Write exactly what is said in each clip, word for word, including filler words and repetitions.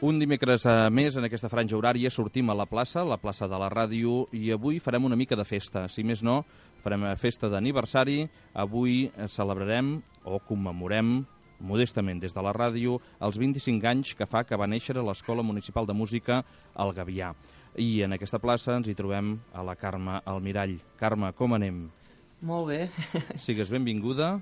Un dimecres a més, en aquesta franja horària, sortim a la plaça, la plaça de la ràdio, i avui farem una mica de festa. Si més no, farem festa d'aniversari. Avui celebrarem o commemorem, modestament des de la ràdio, els vint-i-cinc anys que fa que va néixer l'Escola Municipal de Música al Gavià. I en aquesta plaça ens hi trobem a la Carme Almirall. Carme, com anem? Molt bé. Sigues benvinguda.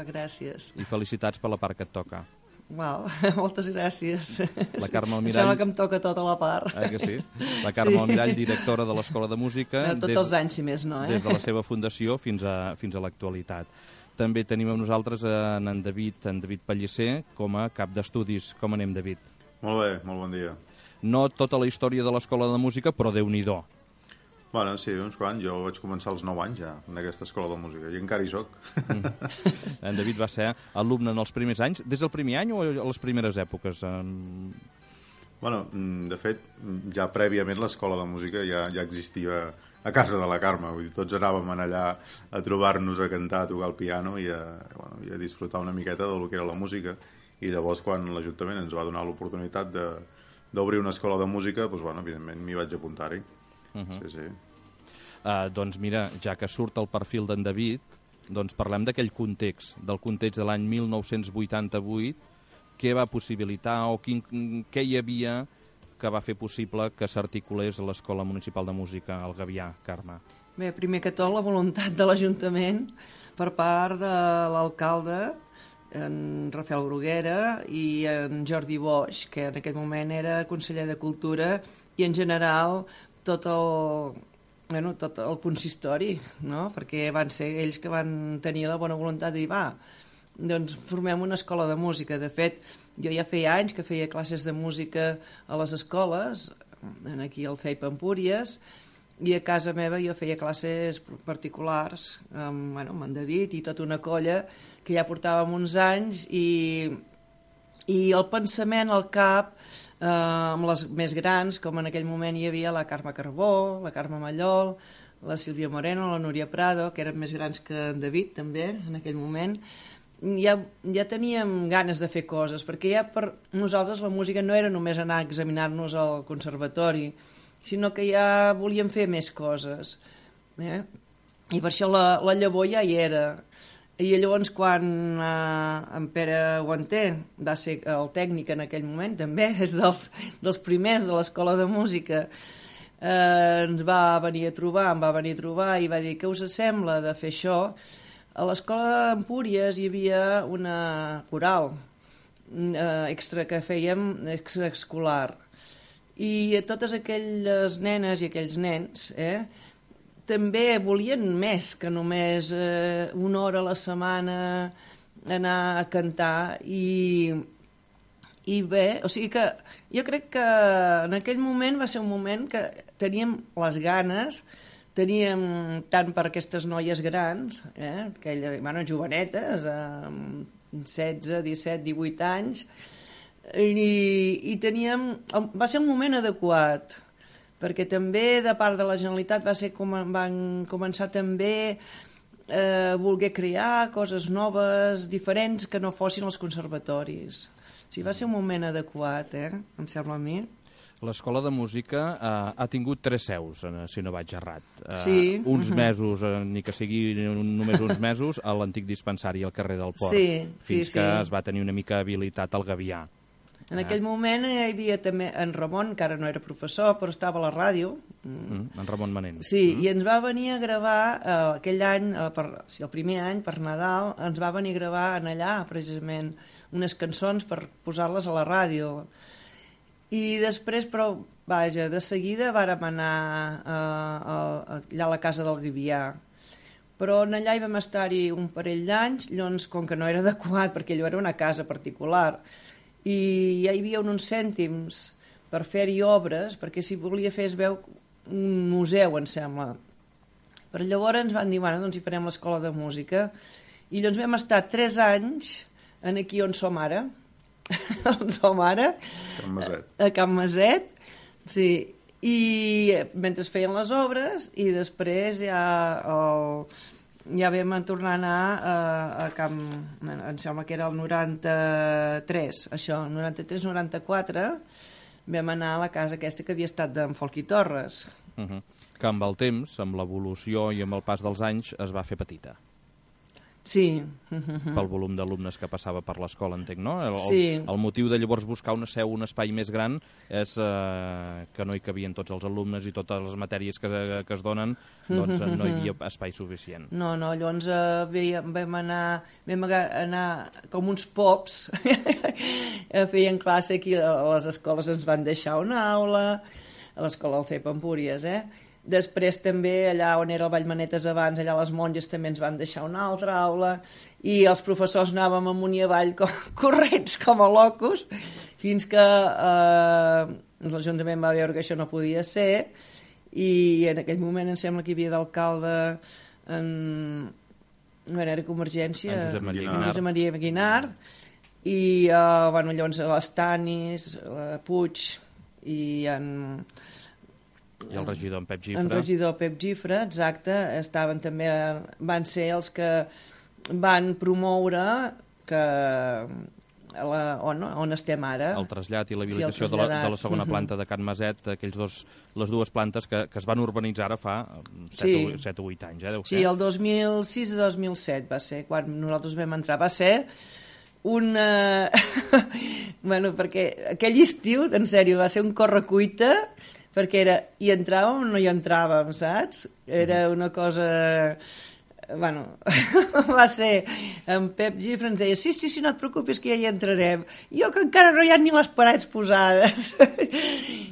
Gràcies. I felicitats per la part que et toca. Uau, moltes gràcies. La Carme Almirall... Em sembla que em toca tota la part. Eh, que sí? La Carme sí. Almirall, directora de l'Escola de Música... Tots des, els anys, si més no, eh? Des de la seva fundació fins a, fins a l'actualitat. També tenim amb nosaltres en, en David, en David Pellicer, com a cap d'estudis. Com anem, David? Molt bé, molt bon dia. No tota la història de l'Escola de Música, però Déu-n'hi-do. Bueno, sí, uns quants. Jo vaig començar als nou anys ja, en aquesta escola de música, i encara hi soc. Mm. En David va ser alumne en els primers anys. Des del primer any o a les primeres èpoques? Bueno, de fet, ja prèviament l'escola de música ja, ja existia a casa de la Carme. Vull dir, tots anàvem allà a trobar-nos a cantar, a tocar el piano i a, bueno, i a disfrutar una miqueta del que era la música. I llavors, quan l'Ajuntament ens va donar l'oportunitat d'obrir una escola de música, doncs, bueno, evidentment m'hi vaig apuntar-hi. Uh -huh. Sí, sí. Uh, doncs mira, ja que surt el perfil d'en David, doncs parlem d'aquell context, del context de l'any mil nou-cents vuitanta-vuit, què va possibilitar o quin, què hi havia que va fer possible que s'articulés l'Escola Municipal de Música al Gavià, Carme? Bé, primer que tot la voluntat de l'Ajuntament per part de l'alcalde, en Rafael Bruguera, i en Jordi Boix, que en aquell moment era conseller de Cultura, i en general tot el, bueno, tot el consistori, no? Perquè van ser ells que van tenir la bona voluntat de dir, va, doncs formem una escola de música. De fet, jo ja feia anys que feia classes de música a les escoles, aquí al C E I P Empúries, i a casa meva jo feia classes particulars amb, bueno, amb en David i tota una colla que ja portàvem uns anys, i, i el pensament al cap, eh, amb les més grans, com en aquell moment hi havia la Carme Carbó, la Carme Mallol, la Sílvia Moreno, la Núria Prado, que eren més grans que en David també en aquell moment, ja, ja teníem ganes de fer coses, perquè ja per nosaltres la música no era només anar a examinar-nos al conservatori, sinó que ja volíem fer més coses, eh? I per això la, la llavor ja hi era. I llavors quan eh, en Pere Guanter va ser el tècnic en aquell moment, també és dels, dels primers de l'Escola de Música, eh, ens va venir a trobar, em va venir a trobar i va dir, què us sembla de fer això? A l'Escola d'Empúries hi havia una coral eh, extra que fèiem extraescolar, i totes aquelles nenes i aquells nens, eh, també volien més que només eh, una hora a la setmana anar a cantar, i, i bé, o sigui que jo crec que en aquell moment va ser un moment que teníem les ganes, teníem tant per aquestes noies grans, eh, aquelles, bueno, jovenetes, amb setze, disset, divuit anys, i, i teníem, va ser un moment adequat, perquè també de part de la Generalitat va ser com van començar també eh, voler crear coses noves, diferents, que no fossin els conservatoris. O sigui, va ser un moment adequat, eh? Em sembla a mi. L'Escola de Música eh, ha tingut tres seus, eh, si no vaig errat. Eh, sí. Uns mesos, eh, ni que sigui només uns mesos, a l'antic dispensari al carrer del Port, sí, fins sí, que sí. es va tenir una mica habilitat al Gavià. En aquell moment hi havia també en Ramon, que ara no era professor, però estava a la ràdio. Mm, en Ramon Manent. Sí, mm. i ens va venir a gravar eh, aquell any, eh, per, sí, el primer any, per Nadal, ens va venir a gravar en allà, precisament, unes cançons per posar-les a la ràdio. I després, però, vaja, de seguida vàrem anar eh, a, allà a la casa del Gavià. Però en allà hi vam estar-hi un parell d'anys, llavors, com que no era adequat, perquè allò era una casa particular, i ja hi havia uns cèntims per fer-hi obres, perquè si volia fer es veu un museu, em sembla. Però llavors ens van dir, bueno, doncs hi farem l'Escola de Música, i llavors vam estar tres anys en aquí on som ara, on som ara, Can Maset. a Can Maset, sí, i mentre es feien les obres, i després ja el, ja vam tornar a anar a, a Camp, em sembla que era el noranta-tres, això, noranta-tres noranta-quatre, vam anar a la casa aquesta que havia estat d'en Folqui Torres. Uh -huh. Que amb el temps, amb l'evolució i amb el pas dels anys, es va fer petita. Sí. Pel volum d'alumnes que passava per l'escola, entenc, no? El, Sí. el, el motiu de llavors buscar una seu, un espai més gran, és eh, que no hi cabien tots els alumnes i totes les matèries que, que es donen, doncs no hi havia espai suficient. No, no, llavors eh, veiem, vam anar, vam anar com uns pops, feien classe aquí a les escoles, ens van deixar una aula, a l'escola del C E P Empúries, eh? Després també allà on era el Vallmanetes abans, allà les monges també ens van deixar una altra aula i els professors anàvem amunt i avall com, corrents com a locos fins que eh, l'Ajuntament va veure que això no podia ser i en aquell moment em sembla que hi havia d'alcalde en... no era Convergència, en Josep Maria en Josep Maria Guinar i eh, bueno, llavors les Tanis, la Puig i en... I el regidor en Pep Gifre. El regidor Pep Gifre, exacte, estaven també, van ser els que van promoure que la, on, on estem ara. El trasllat i l'habilitació sí, de, la, de la segona planta de Can Maset, aquells dos, les dues plantes que, que es van urbanitzar ara fa set o vuit anys, eh, deu ser? Sí, el dos mil sis i dos mil set va ser, quan nosaltres vam entrar. Va ser una... bueno, perquè aquell estiu, en sèrio, va ser un correcuita perquè era, hi entràvem o no hi entràvem, saps? Era una cosa... Bueno, va ser... En Pep Gifre ens deia, sí, sí, sí, no et preocupis que ja hi entrarem. Jo que encara no hi ha ni les parets posades.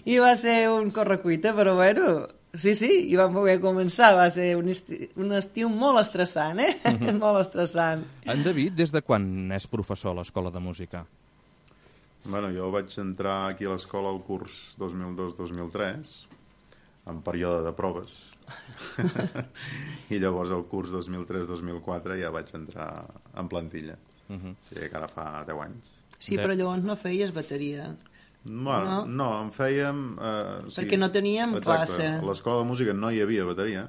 I va ser un correcuita, però bueno, sí, sí, i vam poder començar. Va ser un estiu, un estiu molt estressant, eh? Uh-huh. Molt estressant. En David, des de quan és professor a l'Escola de Música? Bueno, jo vaig entrar aquí a l'escola al curs dos mil dos dos mil tres, en període de proves. I llavors al curs dos mil tres dos mil quatre ja vaig entrar en plantilla. Uh -huh. O sigui que ara fa deu anys. Sí, però llavors no feies bateria. Bueno, no, no en fèiem... Eh, sí, perquè no teníem exacte, classe. A l'escola de música no hi havia bateria,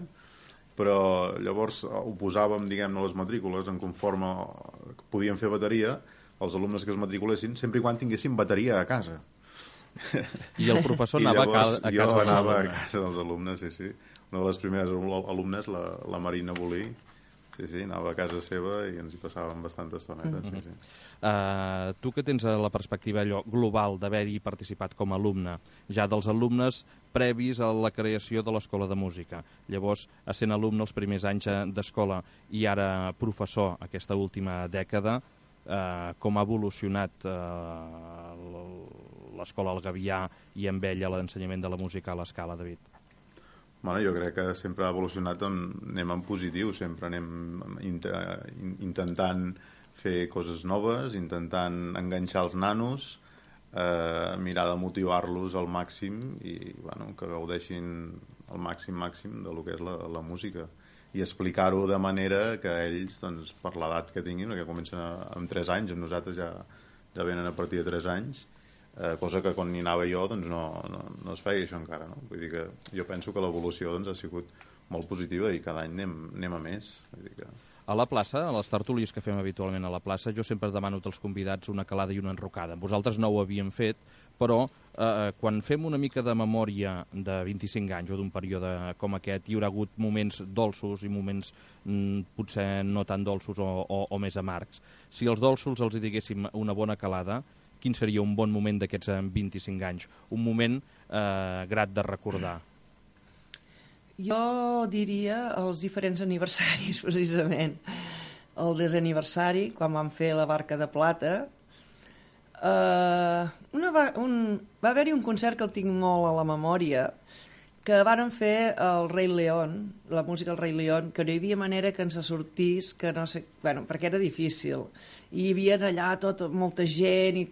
però llavors ho posàvem, diguem-ne, a les matrícules, en conforme podien fer bateria, els alumnes que es matriculessin, sempre i quan tinguessin bateria a casa. I el professor anava llavors, a casa jo dels anava alumnes. a casa dels alumnes, sí, sí. Una de les primeres alumnes, la, la Marina Bolí, sí, sí, anava a casa seva i ens hi passàvem bastanta estoneta, sí, sí. Uh, tu que tens la perspectiva allò global d'haver-hi participat com a alumne, ja dels alumnes previs a la creació de l'Escola de Música, llavors, essent alumne els primers anys d'escola i ara professor aquesta última dècada, uh, com ha evolucionat uh, l'Escola al Gavià i amb ella l'ensenyament de la música a l'escala, David? Bueno, jo crec que sempre ha evolucionat, anem en positiu, sempre anem intentant fer coses noves, intentant enganxar els nanos, eh, mirar de motivar-los al màxim i bueno, que gaudeixin al màxim màxim de lo que és la, la música i explicar-ho de manera que ells, doncs, per l'edat que tinguin, que comencen a, amb tres anys, amb nosaltres ja, ja venen a partir de tres anys, eh, cosa que quan hi anava jo doncs no, no, no es feia això encara, no? Vull dir que jo penso que l'evolució doncs, ha sigut molt positiva i cada any anem, anem a més. Vull dir que... A la plaça, a les tertúlies que fem habitualment a la plaça, jo sempre demano als convidats una calada i una enrocada. Vosaltres no ho havíem fet, però eh, quan fem una mica de memòria de vint-i-cinc anys o d'un període com aquest, hi haurà hagut moments dolços i moments mm, potser no tan dolços o, o, o més amargs. Si els dolços els hi diguéssim una bona calada, quin seria un bon moment d'aquests vint-i-cinc anys? Un moment eh, grat de recordar. Jo diria els diferents aniversaris, precisament. El desaniversari, quan vam fer la Barca de Plata. Uh, una va, un, va haver-hi un concert que el tinc molt a la memòria, que varen fer el Rei León, la música del Rei León, que no hi havia manera que ens sortís, que no sé, bueno, perquè era difícil. I hi havia allà tot, molta gent i...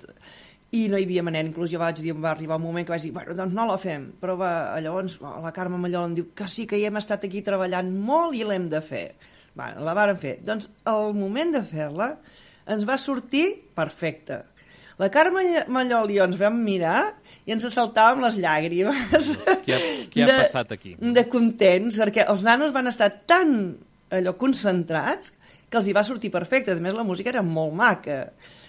i no hi havia manera, inclús jo vaig dir, va arribar un moment que vaig dir, bueno, doncs no la fem, però va, llavors la Carme Mallol em diu que sí, que hi hem estat aquí treballant molt i l'hem de fer. Bueno, la varen fer. Doncs el moment de fer-la ens va sortir perfecte. La Carme Mallol i jo ens vam mirar i ens assaltàvem les llàgrimes. Què ha, què ha de, passat aquí? De contents, perquè els nanos van estar tan allò concentrats que els hi va sortir perfecte. A més, la música era molt maca.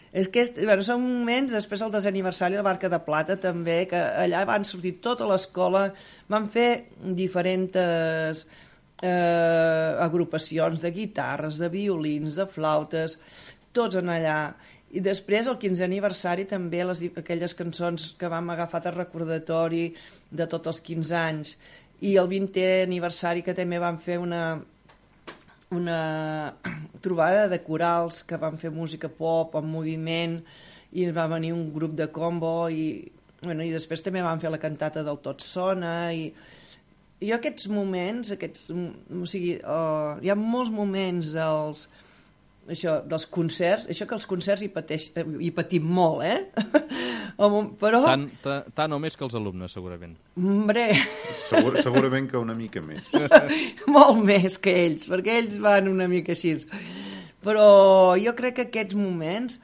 És que bueno, són moments, després del desè aniversari de la Barca de Plata també, que allà van sortir tota l'escola, van fer diferents eh, agrupacions de guitarres, de violins, de flautes, tots en allà. I després, el quinzè aniversari, també les, aquelles cançons que vam agafar de recordatori de tots els quinze anys. I el vintè aniversari, que també vam fer una... una trobada de corals que van fer música pop en moviment i va venir un grup de combo i, bueno, i després també van fer la cantata del Tot Sona i, i aquests moments aquests, o sigui, uh, hi ha molts moments dels això, dels concerts, això que els concerts hi, pateix, hi patim molt, eh? Però... Tant, tant, tant o més que els alumnes, segurament. Hombre... Segur, segurament que una mica més. Molt més que ells, perquè ells van una mica així. Però jo crec que aquests moments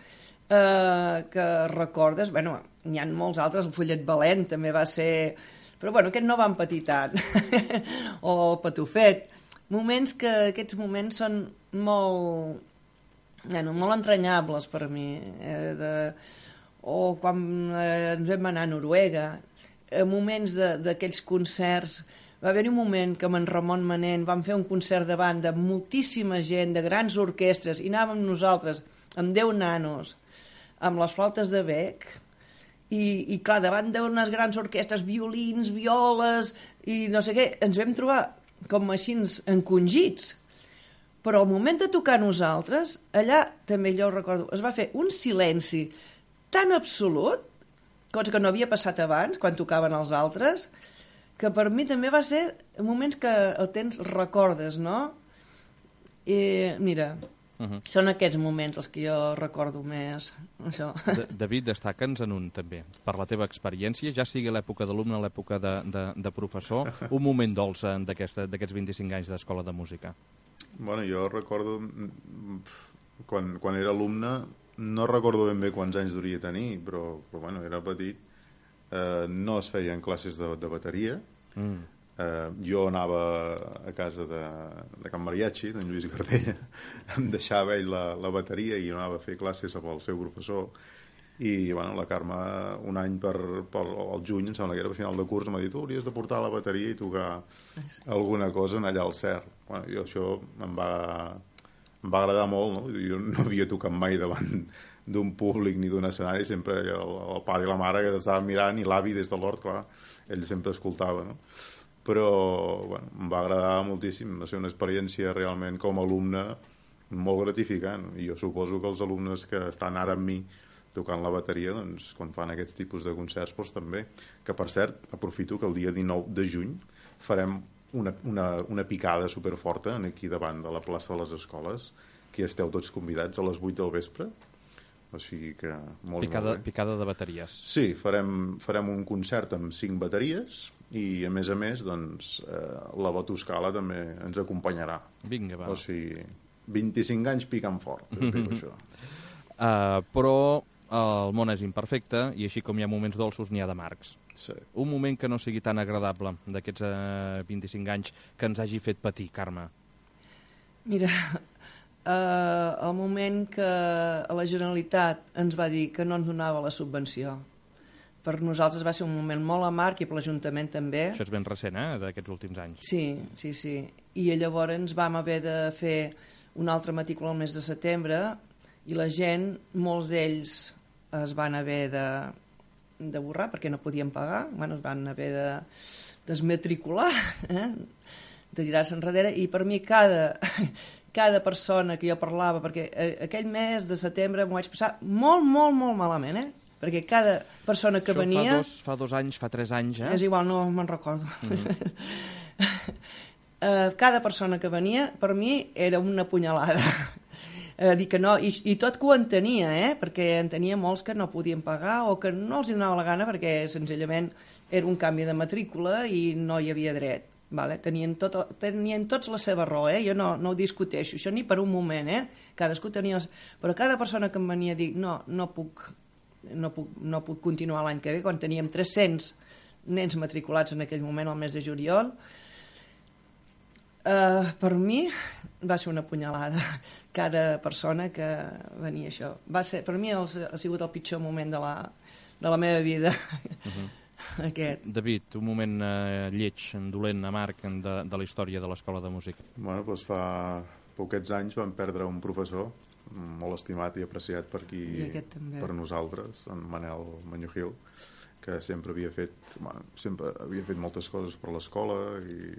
eh, que recordes, bueno, n'hi ha molts altres, el Follet Valent també va ser... Però bueno, aquest no van patir tant. O el Patufet. Moments que aquests moments són molt... Bueno, molt entranyables per a mi, eh, de, o quan eh, ens vam anar a Noruega, eh, moments d'aquells concerts, va haver-hi un moment que amb en Ramon Manent vam fer un concert davant de moltíssima gent, de grans orquestres, i anàvem nosaltres amb deu nanos, amb les flautes de bec, i, i clar, davant d'unes grans orquestres, violins, violes, i no sé què, ens vam trobar com així encongits. Però al moment de tocar nosaltres, allà, també jo ho recordo, es va fer un silenci tan absolut, cosa que no havia passat abans, quan tocaven els altres, que per mi també va ser moments que el temps recordes, no? I mira, uh -huh. són aquests moments els que jo recordo més, això. De, David, destaca'ns en un, també, per la teva experiència, ja sigui l'època d'alumne, l'època de, de, de professor, un moment dolç d'aquests vint-i-cinc anys d'escola de música. Bueno, jo recordo, quan, quan era alumne, no recordo ben bé quants anys duria tenir, però, però bueno, era petit, eh, no es feien classes de, de bateria, mm. eh, jo anava a casa de, de Can Mariachi, d'en Lluís Gardella, em deixava ell la, la bateria i anava a fer classes amb el seu professor, i bueno, la Carme un any per, per el juny, em sembla que era a final de curs, m'ha dit, tu hauries de portar la bateria i tocar alguna cosa en allà al Cer. Bueno, jo això em va, em va agradar molt, no? Jo no havia tocat mai davant d'un públic ni d'un escenari, sempre el, el pare i la mare que estaven mirant i l'avi des de l'hort, clar, ell sempre escoltava, no? Però bueno, em va agradar moltíssim, va ser una experiència realment com a alumne molt gratificant, i jo suposo que els alumnes que estan ara amb mi tocant la bateria, doncs, quan fan aquests tipus de concerts, doncs també. Que, per cert, aprofito que el dia dinou de juny farem una, una, una picada superforta aquí davant de la plaça de les escoles, que esteu tots convidats a les vuit del vespre. O sigui que molt, picada, molt bé. Picada de bateries. Sí, farem, farem un concert amb cinc bateries i, a més a més, doncs, eh, la Botoscala també ens acompanyarà. Vinga, va. O sigui, vint-i-cinc anys picant fort, es diu això. Uh, però el món és imperfecte i així com hi ha moments dolços n'hi ha d'amargs. Sí. Un moment que no sigui tan agradable d'aquests uh, vint-i-cinc anys que ens hagi fet patir, Carme. Mira, uh, el moment que la Generalitat ens va dir que no ens donava la subvenció, per nosaltres va ser un moment molt amarg i per l'Ajuntament també. Això és ben recent, eh, d'aquests últims anys. Sí, sí, sí. I llavors vam haver de fer una altra matrícula al mes de setembre i la gent, molts d'ells es van haver de, de borrar perquè no podien pagar, bueno, es van haver de desmatricular, eh? de tirar-se enrere, i per mi cada, cada persona que jo parlava, perquè aquell mes de setembre m'ho vaig passar molt, molt, molt malament, eh? perquè cada persona que Això venia... Fa dos, fa dos anys, fa tres anys, eh? És igual, no me'n recordo. Mm. uh, cada persona que venia, per mi, era una punyalada. Uh, dir que no, i, i tot que ho entenia, eh? perquè en tenia molts que no podien pagar o que no els donava la gana perquè senzillament era un canvi de matrícula i no hi havia dret. Vale? Tenien, tot, tenien tots la seva raó, eh? jo no, no ho discuteixo, això ni per un moment, eh? cadascú tenia... Les... Però cada persona que em venia a dir no, no puc, no puc, no puc continuar l'any que ve, quan teníem tres-cents nens matriculats en aquell moment, al mes de juliol. Uh, per mi va ser una punyalada cada persona que venia això. Va ser, per mi ha sigut el pitjor moment de la, de la meva vida. Uh-huh. Aquest. David, un moment eh, lleig, dolent, amarg de, de la història de l'Escola de Música. Bueno, doncs fa poquets anys vam perdre un professor molt estimat i apreciat per aquí, per nosaltres, en Manel Mañugil, que sempre havia fet, bueno, sempre havia fet moltes coses per l'escola i,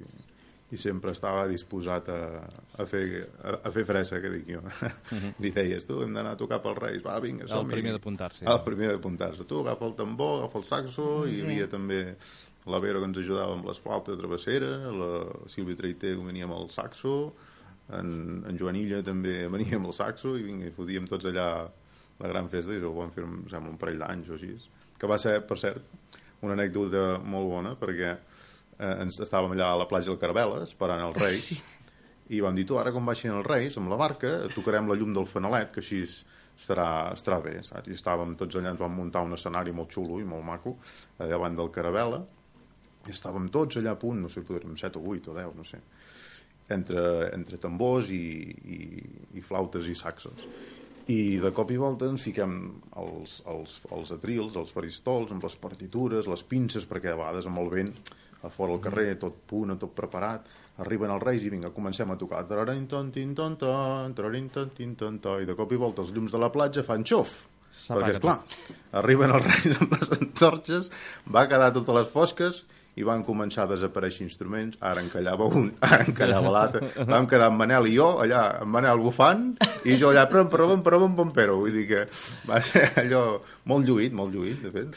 i sempre estava disposat a, a, fer, a, a fer fressa, que dic jo. Uh-huh. Li deies, tu, hem d'anar a tocar pels Reis, va, vinga, som-hi. El primer d'apuntar-se. El primer d'apuntar-se. Tu, agafa el tambor, agafa el saxo, sí. Hi havia també la Vera que ens ajudava amb les flautes de travessera, la Sílvia Traiter que venia amb el saxo, en, en Joanilla també venia amb el saxo, i vinga, i fotíem tots allà la gran festa, i ho vam fer, em sembla, un parell d'anys o així, que va ser, per cert, una anècdota molt bona, perquè eh, ens estàvem allà a la platja del Caravela esperant els Reis, sí. I vam dir, tu, ara quan baixin els Reis amb la barca, tocarem la llum del fanalet, que així estarà, estarà bé, saps? I estàvem tots allà, ens vam muntar un escenari molt xulo i molt maco davant del Caravela, i estàvem tots allà a punt, no sé, podríem set o vuit o deu, no sé, entre, entre tambors i, i, i flautes i saxos. I de cop i volta ens fiquem els, els, els atrils, els faristols, amb les partitures, les pinces, perquè a vegades amb el vent a fora al carrer, tot punt, tot preparat, arriben els Reis i vinga, comencem a tocar, i de cop i volta els llums de la platja fan xof, perquè esclar, arriben els Reis amb les antorxes, va quedar totes les fosques i van començar a desaparèixer instruments, ara en callava un, ara en callava l'altre, vam quedar en Manel i jo, allà, en Manel bufant, i jo allà, prom, prom, prom, prom, però, vull dir que va ser allò molt lluït, molt lluït, de fet.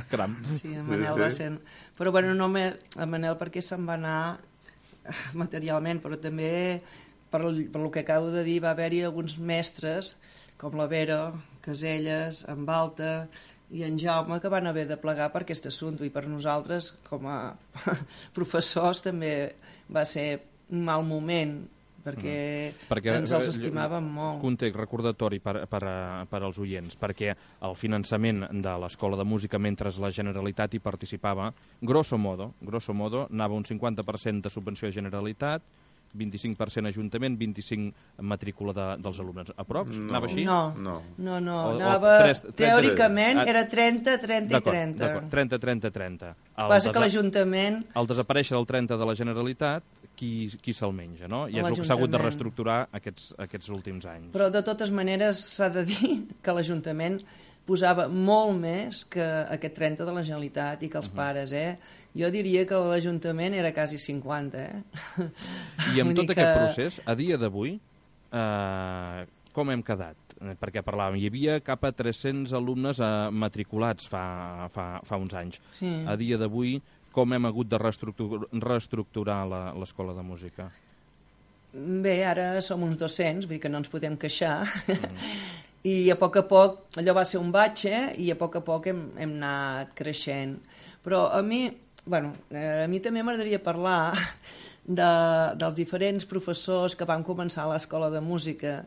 Caram. Sí, en Manel sí, va ser... Però, bueno, no me... en Manel perquè se'n va anar materialment, però també, per, per el que acabo de dir, va haver-hi alguns mestres, com la Vera, Caselles, en Balta i en Jaume, que van haver de plegar per aquest assumpte, i per nosaltres com a professors també va ser un mal moment, perquè, mm. perquè ens els estimàvem molt. Context, recordatori per, per, per als oients, perquè el finançament de l'Escola de Música, mentre la Generalitat hi participava, grosso modo, grosso modo anava un cinquanta per cent de subvenció de Generalitat, vint-i-cinc per cent Ajuntament, vint-i-cinc per cent matrícula de, dels alumnes. Aprops? No. Anava així? No, no, no, no. O, anava, o tres, tres, teòricament tres. Era trenta, trenta i trenta. trenta, trenta, trenta. El Passa que l'Ajuntament... Al desaparèixer el trenta de la Generalitat, qui, qui se'l menja, no? I és el que s'ha hagut de reestructurar aquests, aquests últims anys. Però de totes maneres s'ha de dir que l'Ajuntament posava molt més que aquest trenta de la Generalitat i que els uh-huh. pares, eh? Jo diria que l'Ajuntament era quasi cinquanta, eh? I amb tot que... aquest procés, a dia d'avui, eh, com hem quedat? Perquè parlàvem, hi havia cap a tres-cents alumnes eh, matriculats fa, fa, fa uns anys. Sí. A dia d'avui, com hem hagut de reestructurar, reestructurar l'Escola de Música? Bé, ara som uns dos-cents, vull dir que no ens podem queixar. Mm. I a poc a poc, allò va ser un batxe, i a poc a poc hem, hem anat creixent. Però a mi... Bueno, eh, a mi també m'agradaria parlar de, dels diferents professors que van començar a l'Escola de Música.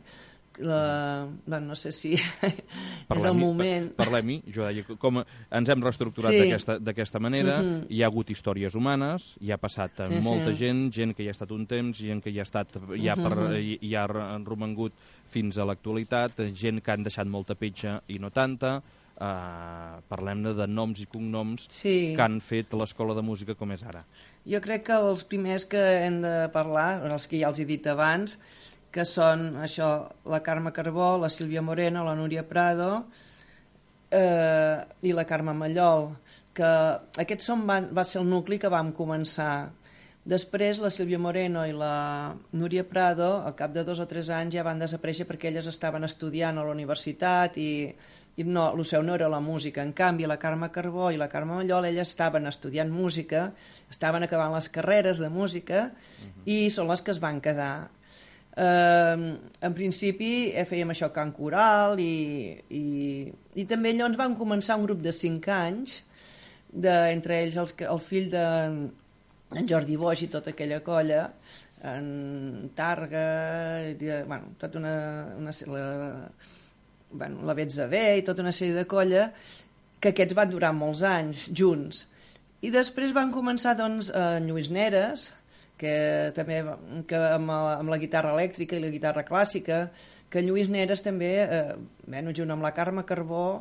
La, bueno, no sé si és el moment. Parlem-hi, jo deia, com ens hem reestructurat sí. d'aquesta manera, uh-huh. Hi ha hagut històries humanes, hi ha passat sí, molta sí. gent, gent que hi ha estat un temps, gent que hi ha, estat, hi ha, per, hi, hi ha romangut fins a l'actualitat, gent que han deixat molta petja i no tanta. Uh, parlem-ne de noms i cognoms sí. que han fet l'Escola de Música com és ara. Jo crec que els primers que hem de parlar, els que ja els he dit abans, que són això, la Carme Carbó, la Sílvia Moreno, la Núria Prado eh, i la Carme Mallol, que aquests són, van, va ser el nucli que vam començar. Després la Sílvia Moreno i la Núria Prado, al cap de dos o tres anys, ja van desaparèixer perquè elles estaven estudiant a la universitat i i no, el seu no era la música. En canvi, la Carme Carbó i la Carme Mallol, elles estaven estudiant música, estaven acabant les carreres de música uh-huh. i són les que es van quedar. Eh, en principi eh, fèiem això, cant coral i, i, i també llavors vam començar un grup de cinc anys, de, entre ells els, el fill de en Jordi Boix i tota aquella colla, en Targa, de, bueno, tota una... una la, bueno, la Betza B i tota una sèrie de colla, que aquests van durar molts anys junts. I després van començar, doncs, en Lluís Neres, que també que amb, la, amb la guitarra elèctrica i la guitarra clàssica, que en Lluís Neres també, eh, bueno, junt amb la Carme Carbó,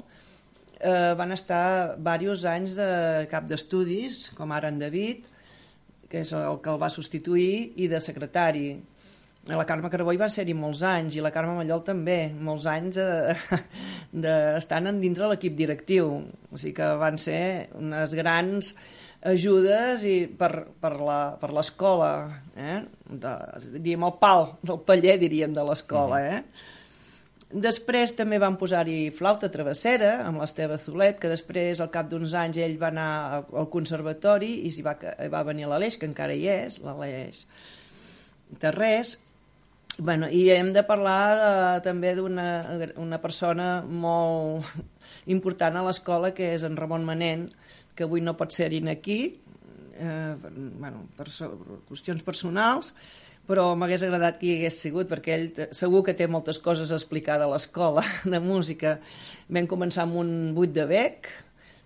eh, van estar diversos anys de cap d'estudis, com ara en David, que és el que el va substituir, i de secretari. La Carme Carbó hi va ser-hi molts anys, i la Carme Mallol també, molts anys eh, d'estant de, dintre l'equip directiu. O sigui que van ser unes grans ajudes i per, per l'escola, eh? Diríem el pal del paller, diríem, de l'escola. Eh? Després també van posar-hi flauta travessera amb l'Esteve Zulet, que després, al cap d'uns anys, ell va anar al conservatori i s'hi va, va venir l'Aleix, que encara hi és, l'Aleix Terrés. Bueno, i hem de parlar de, també d'una una persona molt important a l'escola, que és en Ramon Manent, que avui no pot ser-hi aquí, eh, bueno, per, per qüestions personals, però m'hagués agradat que hi hagués sigut, perquè ell segur que té moltes coses a explicar de l'escola de música. Vam començar amb un buit de bec,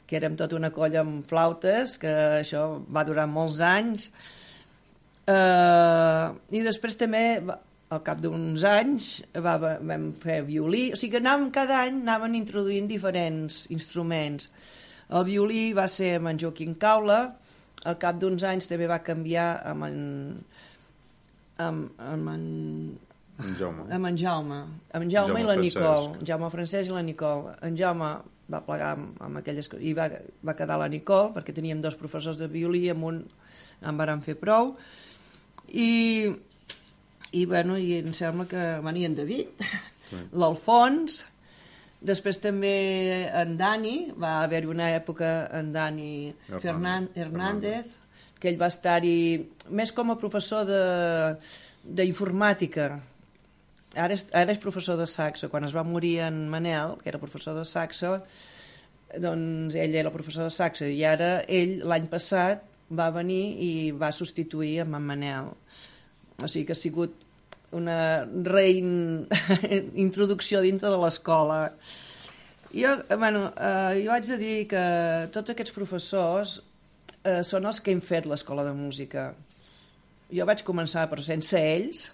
que érem tota una colla amb flautes, que això va durar molts anys, eh, i després també, al cap d'uns anys, va, vam fer violí, o sigui que anàvem, cada any anaven introduint diferents instruments. El violí va ser amb en Joaquim Caula, al cap d'uns anys també va canviar amb en... amb, amb en... En Jaume. Amb en Jaume. Amb en Jaume, Jaume i la Nicole. En Jaume Francesc i la Nicole. En Jaume va plegar amb, amb aquelles... i va, va quedar la Nicole, perquè teníem dos professors de violí, amb un en vàrem fer prou. I, i, bueno, i em sembla que venia en David, sí. L'Alfons. Després també en Dani, va haver-hi una època en Dani Fernan, Hernández, que ell va estar-hi més com a professor d'informàtica. Ara, és, ara és professor de saxo. Quan es va morir en Manel, que era professor de saxo, doncs ell era professor de saxo, i ara ell l'any passat va venir i va substituir amb en Manel. O sigui que ha sigut una reintroducció dintre de l'escola. Jo, bueno, eh, jo haig de dir que tots aquests professors eh, són els que hem fet l'escola de música. Jo vaig començar, però sense ells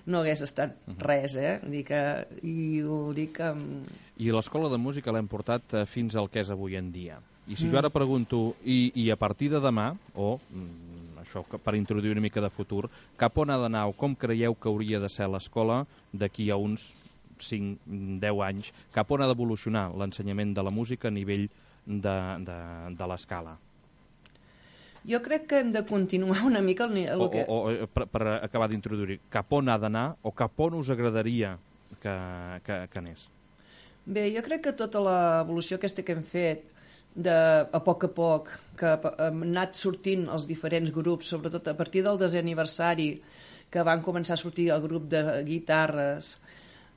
no hagués estat res, eh? Vull dir que, i ho dic amb... I l'escola de música l'hem portat fins al que és avui en dia. I si jo ara pregunto, i, i a partir de demà, o... això per introduir una mica de futur, cap on ha d'anar o com creieu que hauria de ser l'escola d'aquí a uns cinc deu anys, cap on ha d'evolucionar l'ensenyament de la música a nivell de, de, de l'escala? Jo crec que hem de continuar una mica... El, el o, que... o, o per, per acabar d'introduir, cap on ha d'anar o cap on us agradaria que, que, que anés? Bé, jo crec que tota l'evolució aquesta que hem fet, de, a poc a poc, que han anat sortint els diferents grups, sobretot a partir del desè aniversari, que van començar a sortir el grup de guitarres,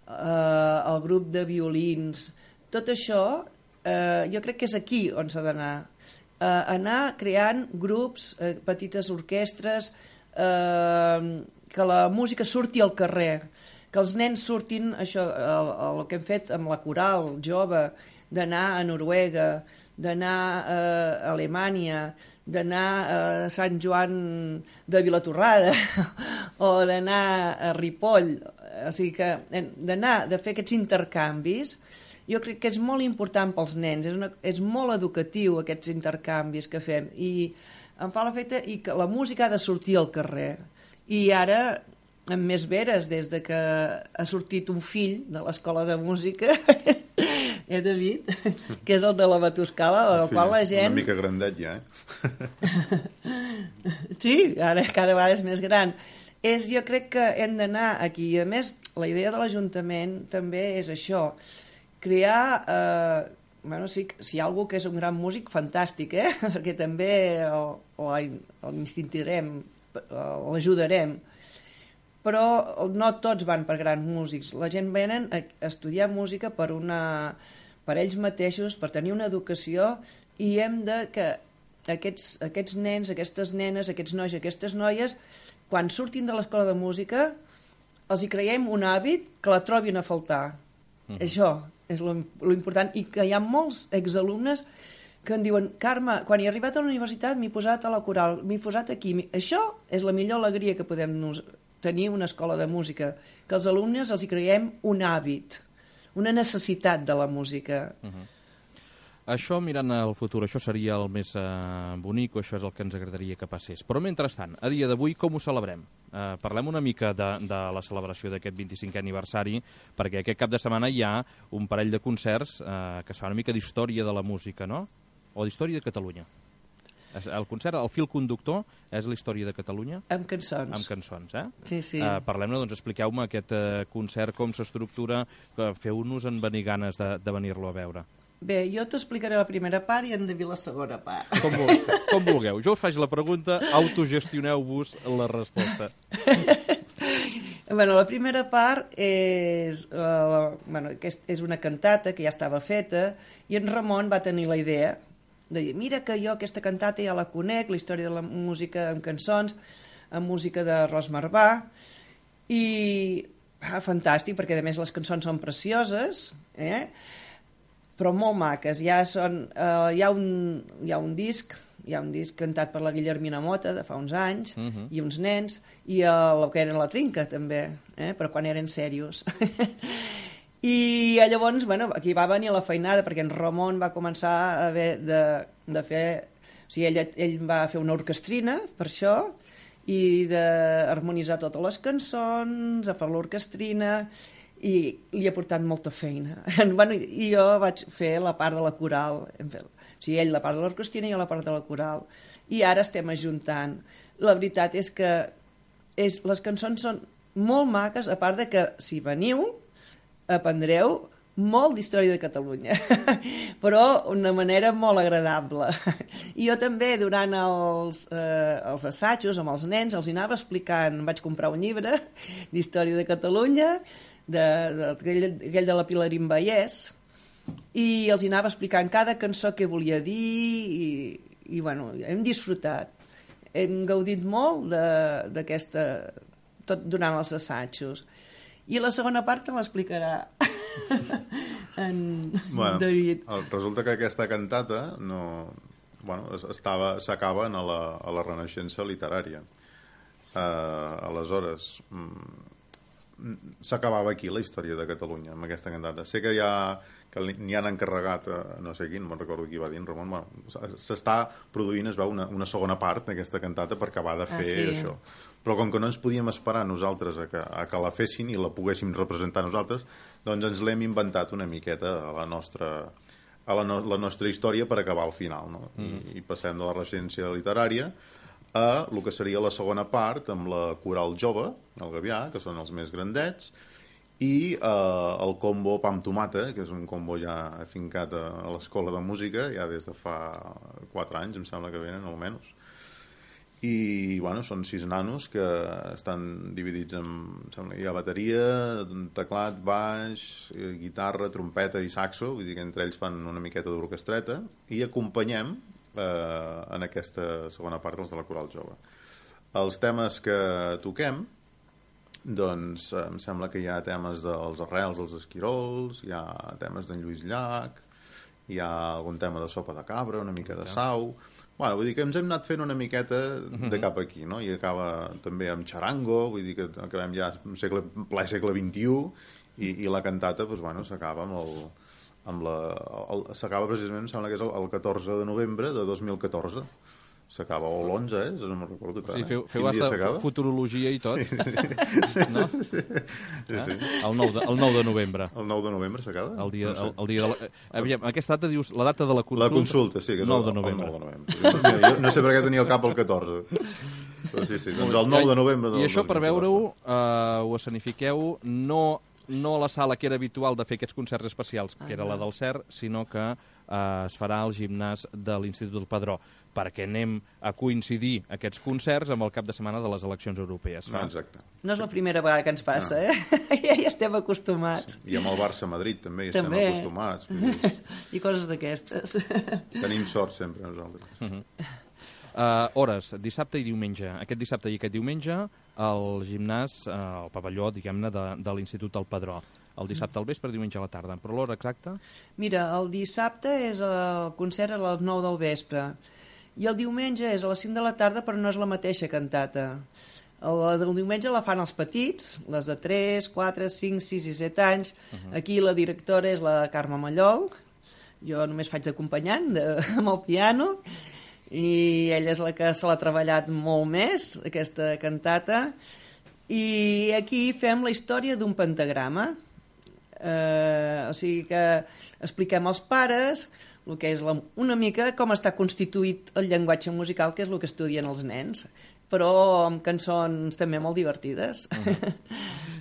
eh, el grup de violins, tot això, eh, jo crec que és aquí on s'ha d'anar. Eh, anar creant grups, eh, petites orquestres, eh, que la música surti al carrer, que els nens surtin, això, el, el que hem fet amb la coral jove, d'anar a Noruega, d'anar a Alemanya, d'anar a Sant Joan de Vilatorrada o d'anar a Ripoll, o sigui que d'anar, de fer aquests intercanvis, jo crec que és molt important pels nens, és, una, és molt educatiu aquests intercanvis que fem, i em fa l'efecte i que la música ha de sortir al carrer. I ara, amb més veres, des de que ha sortit un fill de l'escola de música, eh, David, que és el de la Batuscala, del fill, qual la gent... Una mica grandet ja, eh? Sí, ara cada vegada és més gran. És, jo crec que hem d'anar aquí. I a més, la idea de l'Ajuntament també és això, crear... Eh, bueno, sí, si hi ha algú que és un gran músic, fantàstic, eh? Perquè també l'instintirem, l'ajudarem. Però no tots van per grans músics. La gent venen a estudiar música per, una, per ells mateixos, per tenir una educació, i hem de que aquests, aquests nens, aquestes nenes, aquests nois, aquestes noies, quan surtin de l'escola de música, els hi creiem un hàbit que la trobin a faltar. Uh-huh. Això és lo, lo important, i que hi ha molts exalumnes que em diuen, Carme, quan he arribat a la universitat m'he posat a la coral, m'he posat aquí. Això és la millor alegria que podem nos, tenir una escola de música, que els alumnes els hi creiem un hàbit, una necessitat de la música. Uh-huh. Això, mirant al futur, això seria el més eh, bonic, o això és el que ens agradaria que passés. Però, mentrestant, a dia d'avui, com ho celebrem? Eh, parlem una mica de, de la celebració d'aquest vint-i-cinquè aniversari, perquè aquest cap de setmana hi ha un parell de concerts eh, que es fa una mica d'història de la música, no? O d'història de Catalunya. El concert, el fil conductor, és la història de Catalunya? Amb cançons. Amb cançons, eh? Sí, sí. Uh, Parlem-ne, doncs expliqueu-me aquest uh, concert, com s'estructura, feu-nos en venir ganes de, de venir-lo a veure. Bé, jo t'explicaré la primera part i en David la segona part. Com, vulgueu, com vulgueu. Jo us faig la pregunta, autogestioneu-vos la resposta. Bueno, la primera part és, uh, bueno, és una cantata que ja estava feta i en Ramon va tenir la idea de dir, mira que jo aquesta cantata ja la conec, la història de la música amb cançons, amb música de Ros Marbà, i ah, fantàstic, perquè a més les cançons són precioses, eh? Però molt maques. Ja són, uh, hi, ha un, hi ha un disc, hi ha un disc cantat per la Guillermina Mota de fa uns anys, uh-huh. i uns nens, i el que era la Trinca també, eh? Però quan eren serios. I llavors, bueno, aquí va venir la feinada, perquè en Ramon va començar a haver de, de fer... O sigui, ell, ell va fer una orquestrina per això, i d'harmonitzar totes les cançons, a per l'orquestrina, i li ha portat molta feina. Bueno, i jo vaig fer la part de la coral. O sigui, ell la part de l'orquestrina i jo la part de la coral. I ara estem ajuntant. La veritat és que és, les cançons són molt maques, a part de que, si veniu, aprendreu molt d'història de Catalunya, però d'una manera molt agradable. I jo també, durant els, eh, els assajos amb els nens, els anava explicant, vaig comprar un llibre d'història de Catalunya, de, de, aquell, aquell de la Pilarín Vallès, i els anava explicant cada cançó que volia dir, i, i bueno, hem disfrutat. Hem gaudit molt d'aquesta, tot durant els assajos. I la segona part te l'explicarà en bueno, David. Resulta que aquesta cantata no, bueno, estava, s'acaba a la, a la Renaixença literària. Uh, aleshores, mm, s'acabava aquí la història de Catalunya, amb aquesta cantata. Sé que, ja, que n'hi han encarregat, uh, no sé quin, no recordo qui va dir, Ramon, bueno, s'està produint, es veu, una, una segona part d'aquesta cantata per acabar de fer ah, sí. això. Però com que no ens podíem esperar nosaltres a que, a que la fessin i la poguéssim representar nosaltres, doncs ens l'hem inventat una miqueta a la nostra, a la, no, la nostra història per acabar al final, no? Mm. I, I passem de la residència literària a el que seria la segona part amb la coral jove, el Gavià, que són els més grandets, i eh, el combo Pa amb tomata, que és un combo ja afincat a, a l'escola de música, ja des de fa quatre anys, em sembla que venen, almenys. I, bueno, són sis nanos que estan dividits en, em sembla, hi ha bateria, teclat, baix, guitarra, trompeta i saxo, vull dir que entre ells fan una miqueta d'orquestreta, i acompanyem eh, en aquesta segona part els de la coral jove. Els temes que toquem, doncs em sembla que hi ha temes dels arrels dels esquirols, hi ha temes d'en Lluís Llach, hi ha algun tema de sopa de cabra, una mica de sau. Bueno, vull dir que ens hem anat fent una miqueta de cap aquí, no? I acaba també amb xarango, vull dir que acabem ja segle, ple segle vint-i-u, i, i la cantata, doncs, bueno, s'acaba amb el... amb la, el, s'acaba precisament, em sembla que és el, el catorze de novembre de dos mil catorze. S'acaba, o l'onze, eh? No me'n recordo tant. Sí, feu, feu hasta futurologia i tot. Sí, sí, sí, no? sí, sí, sí, sí. El, nou de, el nou de novembre. El nou de novembre s'acaba? El dia, no sé. el, el dia de la... Aviam, aquesta data dius, la data de la consulta... La consulta, sí, que és nou el, de novembre. el nou de novembre. Jo no sé per què tenia el cap el catorze. Però sí, sí, doncs el nou de novembre... I això, per veure-ho, uh, ho escenifiqueu no... no a la sala que era habitual de fer aquests concerts especials, que era la del C E R, sinó que eh, es farà al gimnàs de l'Institut del Padró, perquè anem a coincidir aquests concerts amb el cap de setmana de les eleccions europees. No, exacte. No és la primera vegada que ens passa, no. eh? Ja hi estem acostumats. I amb el Barça-Madrid també hi també. estem acostumats. Dir... I coses d'aquestes. Tenim sort sempre nosaltres. Uh -huh. Uh, hores, dissabte i diumenge. Aquest dissabte i aquest diumenge al gimnàs, uh, al pavelló, diguem-ne, de, de l'Institut del Padró. El dissabte al vespre, diumenge a la tarda. Però l'hora exacta? Mira, el dissabte és el concert a les nou del vespre i el diumenge és a les cinc de la tarda, però no és la mateixa cantata. La del diumenge la fan els petits, les de tres, quatre, cinc, sis i set anys. Uh-huh. Aquí la directora és la Carme Mallol, jo només faig d'acompanyant amb el piano, i ella és la que se l'ha treballat molt més, aquesta cantata, i aquí fem la història d'un pentagrama. Eh, o sigui que expliquem als pares el que és la, una mica com està constituït el llenguatge musical, que és el que estudien els nens, però amb cançons també molt divertides. Uh-huh.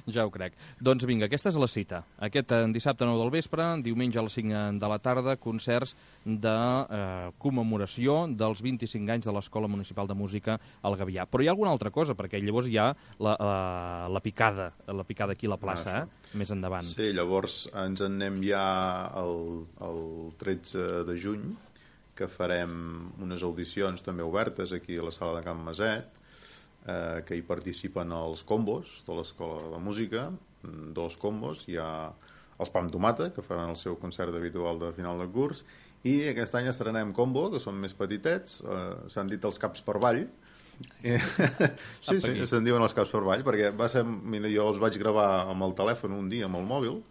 Ja ho crec. Doncs vinga, aquesta és la cita. Aquest eh, dissabte nou del vespre, diumenge a les cinc de la tarda, concerts de eh, commemoració dels vint-i-cinc anys de l'Escola Municipal de Música al Gavià. Però hi ha alguna altra cosa, perquè llavors hi ha la, eh, la picada, la picada aquí a la plaça, eh? Més endavant. Sí, llavors ens en anem ja el, el tretze de juny, que farem unes audicions també obertes aquí a la sala de Can Maset, Eh, que hi participen els combos de l'Escola de Música, dos combos, hi ha els Pam Tomata, que faran el seu concert habitual de final de curs, i aquest any estrenem combo, que són més petitets, eh, s'han dit els caps per ball. I, sí, sí, se'n diuen els caps per ball, perquè va ser, mira, jo els vaig gravar amb el telèfon un dia, amb el mòbil,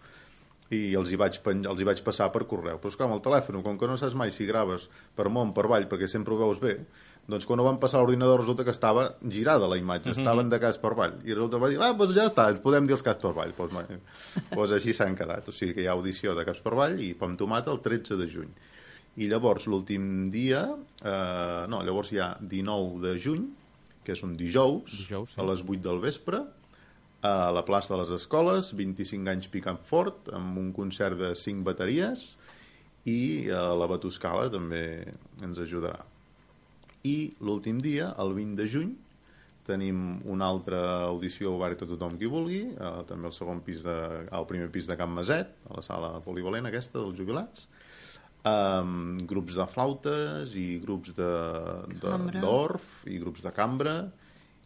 i els hi vaig, els hi vaig passar per correu. Però és clar, amb el telèfon, com que no saps mai si graves per món, per ball, perquè sempre ho veus bé, doncs quan ho van passar a l'ordinador resulta que estava girada la imatge, estaven de cas per ball, i resulta que va dir, ah, doncs ja està, ens podem dir els caps per ball. Doncs, doncs així s'han quedat, o sigui que hi ha audició de caps per ball i Pam Tomata el tretze de juny. I llavors l'últim dia, eh, no, llavors hi ha dinou de juny, que és un dijous, dijous sí. A les vuit del vespre, a la plaça de les Escoles, vint-i-cinc anys picant fort, amb un concert de cinc bateries, i eh, la Batuscala també ens ajudarà. I l'últim dia, el vint de juny, tenim una altra audició oberta a tothom qui vulgui, eh, també al segon pis de, al primer pis de Can Maset, a la sala polivalent aquesta dels jubilats, um, grups de flautes i grups de, de, d'orf i grups de cambra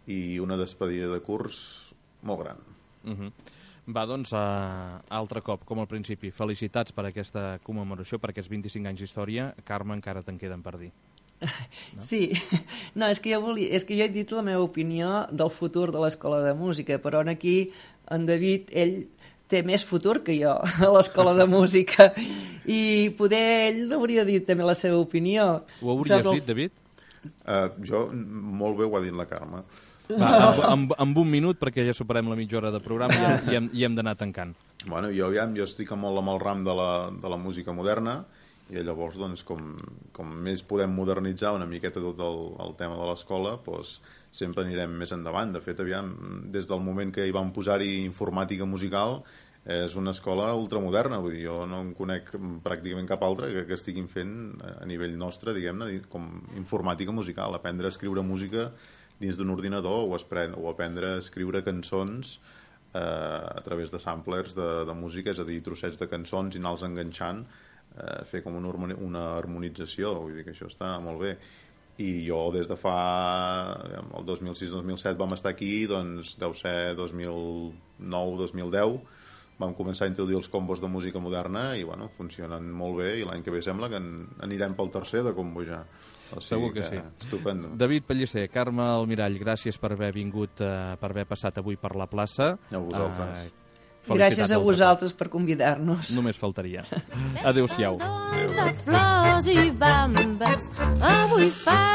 i una despedida de curs molt gran. Uh-huh. Va, doncs, uh, altre cop, com al principi, felicitats per aquesta commemoració, per aquests vint-i-cinc anys d'història. Carme, encara te'n queden per dir. No? Sí, no, és que, jo volia, és que jo he dit la meva opinió del futur de l'Escola de Música, però aquí en David, ell té més futur que jo a l'Escola de Música i poder ell hauria dit també la seva opinió. Ho hauries dit, David? Uh, jo, molt bé ho ha dit la Carme. Va, amb, amb, amb un minut, perquè ja superem la mitja hora de programa i, i hem, i hem d'anar tancant. Bueno, jo, aviam, jo estic molt amb el ram de la, de la música moderna, i llavors, doncs, com, com més podem modernitzar una miqueta tot el, el tema de l'escola, doncs, sempre anirem més endavant. De fet, aviam, des del moment que hi vam posar-hi informàtica musical, és una escola ultramoderna, vull dir, jo no en conec pràcticament cap altra que, que estiguin fent a nivell nostre, diguem-ne, com informàtica musical, aprendre a escriure música dins d'un ordinador o, espre- o aprendre a escriure cançons eh, a través de samplers de, de música, és a dir, trossets de cançons i anar-los enganxant, eh, fer com una, una harmonització, vull dir que això està molt bé. I jo des de fa el dos mil sis dos mil set vam estar aquí, doncs deu ser dos mil nou dos mil deu vam començar a introduir els combos de música moderna i bueno, funcionen molt bé i l'any que ve sembla que en, anirem pel tercer de combo ja. O sigui segur que, que sí. Estupendo. David Pellicer, Carme Almirall, gràcies per haver vingut, uh, per haver passat avui per la plaça. A vosaltres. Uh, Gràcies a vosaltres per convidar-nos. Només faltaria. Adéu-siau. Adéu. De flors i bambes, avui fa